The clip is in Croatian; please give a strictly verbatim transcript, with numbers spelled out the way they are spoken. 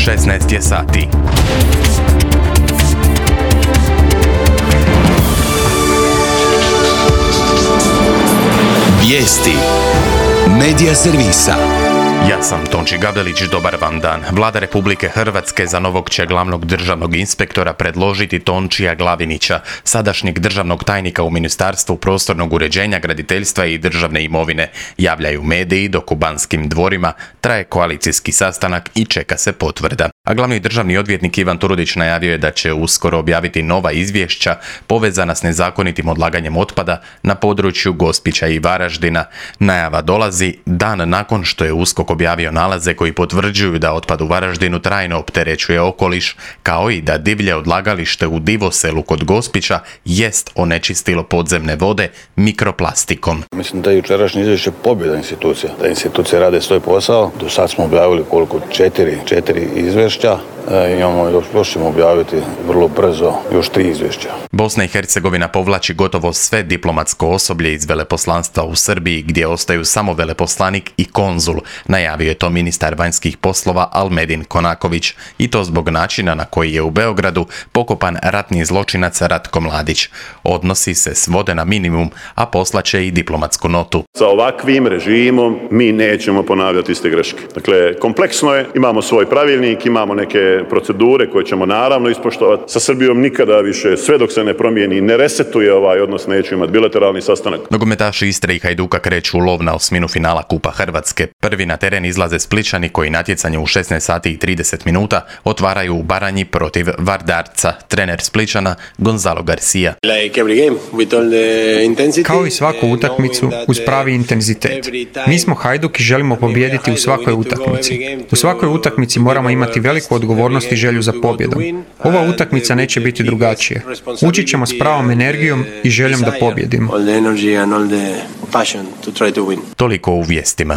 šesnaest je sati. Vijesti Medija servisa. Ja sam Tonči Gavdelić, dobar vam dan. Vlada Republike Hrvatske za novog će glavnog državnog inspektora predložiti Tončija Glavinića, sadašnjeg državnog tajnika u Ministarstvu prostornog uređenja, graditeljstva i državne imovine. Javljaju mediji, dok u Banskim dvorima traje koalicijski sastanak i čeka se potvrda. A glavni državni odvjetnik Ivan Turudić najavio je da će uskoro objaviti nova izvješća povezana s nezakonitim odlaganjem otpada na području Gospića i Varaždina. Najava dolazi dan nakon što je USKOK objavio nalaze koji potvrđuju da otpad u Varaždinu trajno opterećuje okoliš, kao i da divlje odlagalište u Divoselu kod Gospića jest onečistilo podzemne vode mikroplastikom. Mislim da je jučerašnje izvješće pobjeda institucija, da institucije rade svoj posao. Do sad smo objavili koliko? Četiri, četiri izvješća. E, imamo još, još ćemo objaviti vrlo brzo još tri izvješća. Bosna i Hercegovina povlači gotovo sve diplomatsko osoblje iz veleposlanstva u Srbiji, gdje ostaju samo veleposlanik i konzul. Najavio je to ministar vanjskih poslova Almedin Konaković, i to zbog načina na koji je u Beogradu pokopan ratni zločinac Ratko Mladić. Odnosi se svode na minimum, a poslaće i diplomatsku notu. Sa ovakvim režimom mi nećemo ponavljati iste greške. Dakle, kompleksno je, imamo svoj pravilnik, imamo neke procedure koje ćemo naravno ispoštovati. Sa Srbijom nikada više, sve dok se ne promijeni, ne resetuje ovaj odnos, neću imati bilateralni sastanak. Nogometaši Istre i Hajduka kreću u lov na osminu finala Kupa Hrvatske. Prvi na teren izlaze Splićani koji natjecanje u šesnaest sati i trideset minuta otvaraju u Baranji protiv Vardarca. Trener Splićana Gonzalo Garcia. Kao i svaku utakmicu uz pravi intenzitet. Mi smo Hajduk i želimo pobijediti u svakoj utakmici. U svakoj utakmici moramo imati veliku odgovornost i želju za pobjedom. Ova utakmica neće biti drugačije. Učit ćemo s pravom energijom i željom da pobjedimo. Toliko u vijestima.